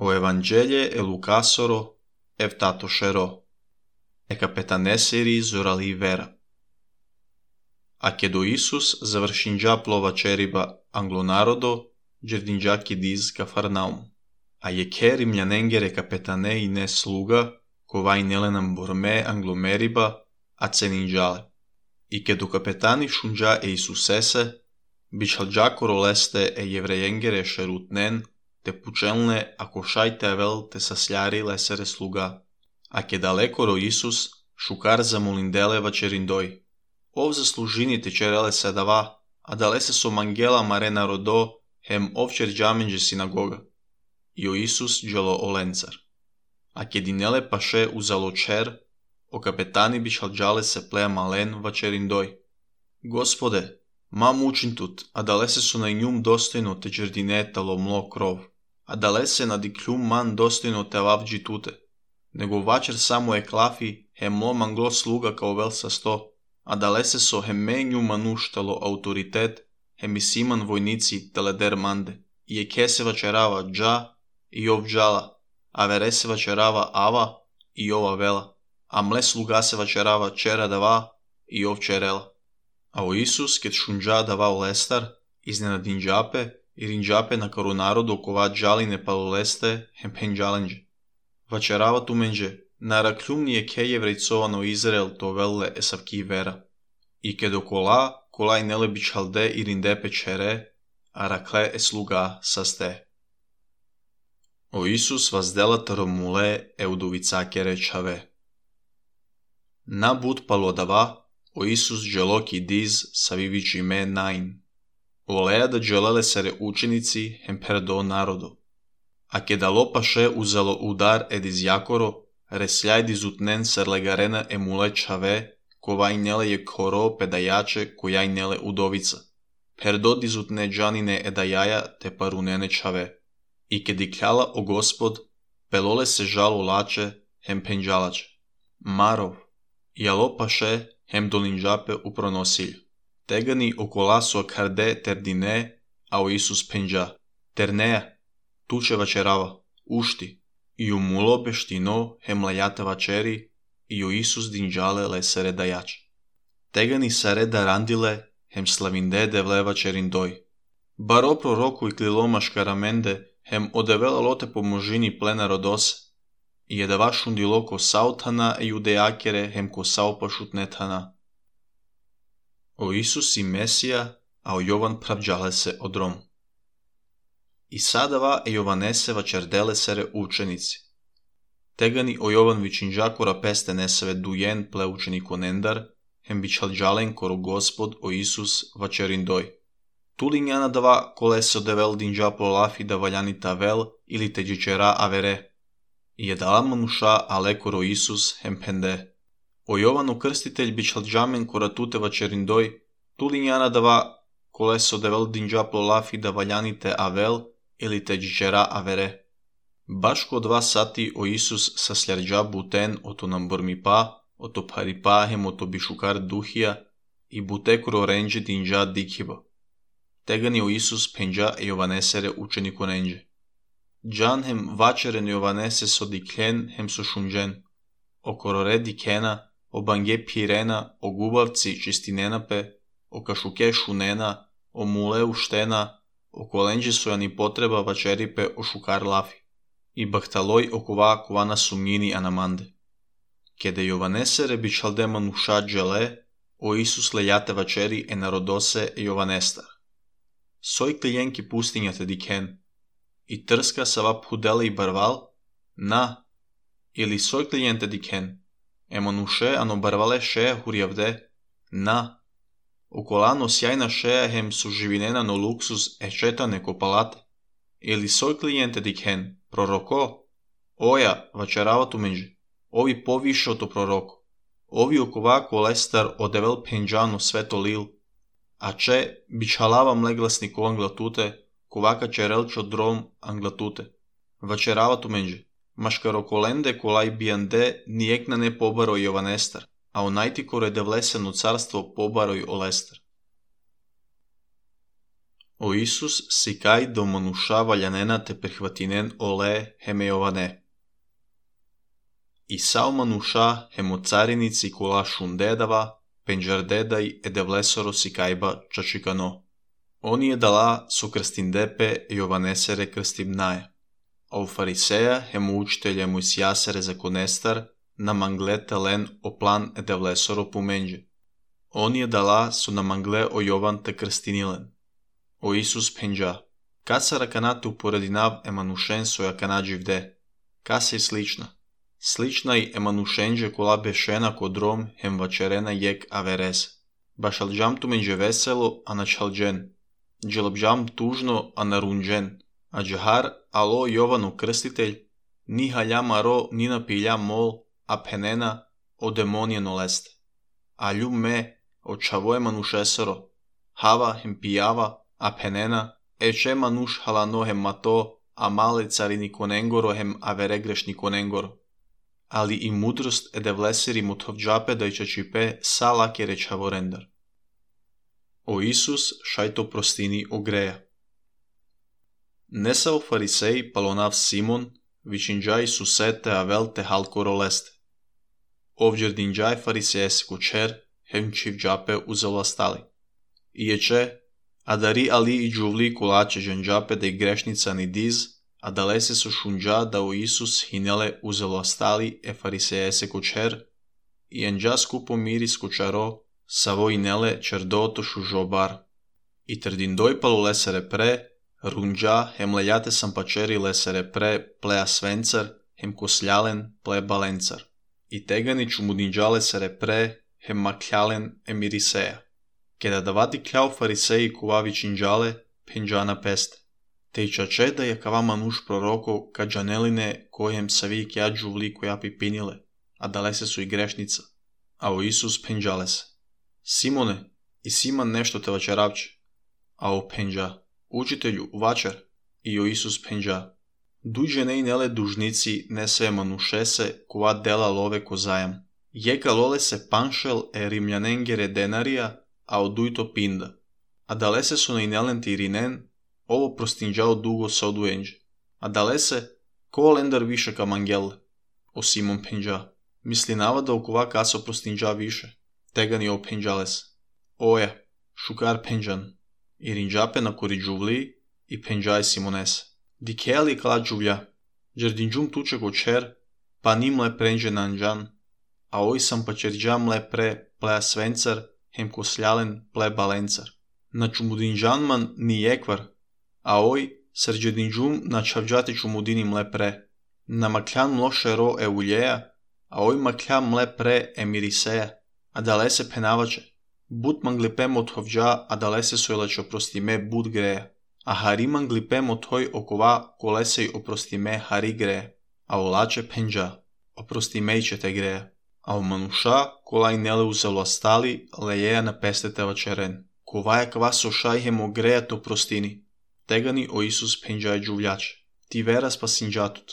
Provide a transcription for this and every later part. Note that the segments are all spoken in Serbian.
O Evanghelie e Lucasoro evtatosero, e kapetaneseri zorali vera. A kedo Isus završinđa plova čeriba anglonarodo, džerdinđa kidiz Kafarnaum. A je ke rimljanengere kapetane i ne sluga, kovai nelenam borme anglomeriba, a ceninđale. I kedo kapetani šunđa e Isusese, bičalđakoro leste e jevrejengere šerutnen, te pučelne ako šajte avel te sasljari lesere sluga. A ke dalekoro Isus, šukar zamolindele vačerindoj. Ov zaslužini te čerele sedava, a dalese so mangela marena rodo, hem ovčer džamenđe sinagoga. I o Isus dželo olencar. A ke dinele paše uzalo čer, o kapetani bičalđale se plea malen vačerindoj. Gospode, mam učintut, a dalese su na njum dostojno te džerdinetalo mlo krov. A dalese na dikljum man dostojno te lavđi tute, nego vačer samo je klafi, hem mlo manglo sluga kao vel sa sto, a dalese so hem menju manuštalo autoritet, hem i siman vojnici teleder mande, i je ke se vačerava dža i ov džala, a vere se vačerava ava i ova vela, a mle sluga se vačerava čera dava i ov čerela. A o Isus ket šunđa davao lestar, iznenadin džape, i rinđape na karu narodu kova džaline paloleste hem penđalenđe. Vačerava tu menđe, na rakljumnije ke jevrejcovano Izrael to velle esavki vera. I kedo kolaj nele bičalde i rindepe čere, a rakle e sluga saste. O Isus vazdela taromule euduvicake rečave. Na bud palodava, o Isus dželoki diz savivići me nain. Olea da dželele sere učenici hem perdo narodo. A ke dalo paše uzalo udar ediz jakoro, resljaj dizutnen serlegarena emule čave, kovaj nele je koro pedajače kojaj nele udovica. Perdo dizutne džanine edajaja te parunene čave. I ke dikljala o Gospod, pelole se žalo lače hem penđalače. Marov, jalo paše hem dolinđape u pronosilju. Tegani okola so karde terdine, a o Isus penđa. Terneja, tuče vačerava, ušti, i u mulo beštino hem lajate vačeri, i o Isus dinđale lesere dajače. Tegani sare darandile, hem slavinde devle vačerindoj. Baro proroku i kliloma škaramende, hem odevela lote pomožini plena rodose, i jedava šundilo ko sautana e judejakere hem ko saupašutnetana. O Isus i Mesija, a o Jovan pravđale se odrom. I sadava e Jovanese vačerdele sere učenici. Tegani o Jovan vičinđakora peste neseve dujen ple učeniko nendar, hem bičalđalen koro Gospod o Isus vačerindoj. Tulinjana dava kole se odevel dinđa prolafi da valjani tavel ili te džičera avere. I je dala manuša ale koro Isus hem pende. O Jovanu krstitelj bičalđamen kora tute vačerindoj, tulinjana dava kole se odevel dinđa prolafi da valjani te avel ili te džičera avere. Baš ko 2 sati o Isus sa sljarđa buten oto nam bormipa, oto paripa hem oto bišukar duhija i bute koro renđe dinđa dikhiba. Tegani o Isus penđa e Jovanesere učeniko renđe. Džan hem vačeren Jovanese so dikljen hem so šunđen. O korore dikena, o bange pirena, o gubavci čistinenape, o kašuke šunena, o mule uštena, o kolenđe sojani potreba vačeripe o šukar lafi. I bahtaloj okova kovana sumnjini anamande. Kede Jovanesere bičalde manuša džele, o Isus lejate vačeri e narodose e Jovanestar. Soj klijenki pustinjate diken. I trska sava pudele i barval, na, ili soj klijente diken. E manuše ano barvale šeja hurjavde, na. Okolano sjajna šeja hem su živinena no luksus e četane ko palate. Ili soj klijente diken, proroko, oja, vačerava tu menđe, ovi poviše to proroko, ovi okovako lestar odevel penđano sveto lil, a če bičalava mleglasnik o anglatute, kovaka čerelčo drom anglatute, vačerava tu menđe, maškaro kolende kolaj bijande nijekna ne pobaroj Jovanestar, a onajti kore devleseno carstvo pobaroj olestar. O Isus sicai do manușa valjanena te prihvatinen ole hemejovane. I sau manușa hemo carinici kula šundedava, penjardedai edevlesoro sicaiba čačikano. Oni je dala su krstindepe Jovanesere krstimnaja. A u fariseja hemo učitelje Mojsijasere zakonestar na manglete len o plan edevlesoro pumenđe. Oni je dala su na mangle o Jovan te krstinilen. O Isus penđa. Kasa rakanate uporedinav emanušen soja kanadživde. Kasa je slična. Slična i emanušenđe kola bešena kod rom hem vačerena jek averez. Bašalđam tu menđe veselo, a načalđen. Dželabđam tužno, a narunđen. A džahar, alo Jovanu krstitelj, ni haljam aro, ni napiljam mol, a penena, o demonijeno leste. A ljub me, o čavo emanušesero. Hava hem pijava, a penena, eče manuš halano hem mato, a male carini konengoro hem avere grešni konengoro. Ali i mudrost edevleseri muthovđape da ičačipe sa lake rečavorendar. O Isus šajto prostini ogreja. Nesao farisej palonav Simon, vičinđaj susete avelte halkoro leste. Ovđerdinđaj farisejes kučer, hem čivđape uzavlastali. Iječe, a dari ali i džuvli kulače džanđape da i grešnica ni diz, a dalese su šunđa da o Isus hinele uzavlastali e farisejese kučer, i enđa skupo miris kučaro, savo inele čerdotošu žobar. I trdindoj palu lesere pre, runđa hem lejate sampačeri lesere pre, plea svencar, hem kosljalen, ple balencar. I tegani čumudinđa lesere pre, hem makljalen emiriseja. Keda davati kljau fariseji kuvavi činđale, penđana peste. Te i čače da je kava manuš proroko ka džaneline kojem savi kja džuvli koja pipinile, a dalese su i grešnica. A o Isus penđale se. Simone, i Siman nešto te vačeravče. A o penđa, učitelju, vačer. I o Isus penđa. Duđe ne i nele dužnici ne sve manušese kova dela love ko zajam. Jeka lole se panšel e rimljanengere denarija, a odujto pinda. A dalese su na inelenti irinen, ovo prostinđao dugo sa oduenđe. A dalese, ko lendar više ka mangelle. O Simon penđa. Misli navada okova kaso prostinđa više. Tegani o penđales. Oja, šukar penđan. I rinđape na kori džuvli i penđaj Simonese. Dikeli kala džuvlja. Džerdinđum tuče kočer, pa nimle prenđe nanđan. A oj sam pa čerđam le pre plea svencar, hem kosljalen ple balencar. Na čumudinđanman ni jekvar, a oj srđedinđum na čavđati čumudinim le pre. Na makljan mloše ro e uljeja, a oj makljan mle pre e miriseja, a dalese penavače. Bud manglipem od hovđa, a dalese sojlač oprostime bud greja. A hari manglipem od hoj okova kolesej oprostime hari greja. A olače penđa, oprostimejče te greja. A u manuša kolaj nele uzavlastali lejeja na pestete vačeren. Kovaja kva sošaj hemo greja to prostini. Tegani o Isus penđaj džuvljače. Ti vera spasinđatut.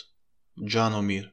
Džano mir.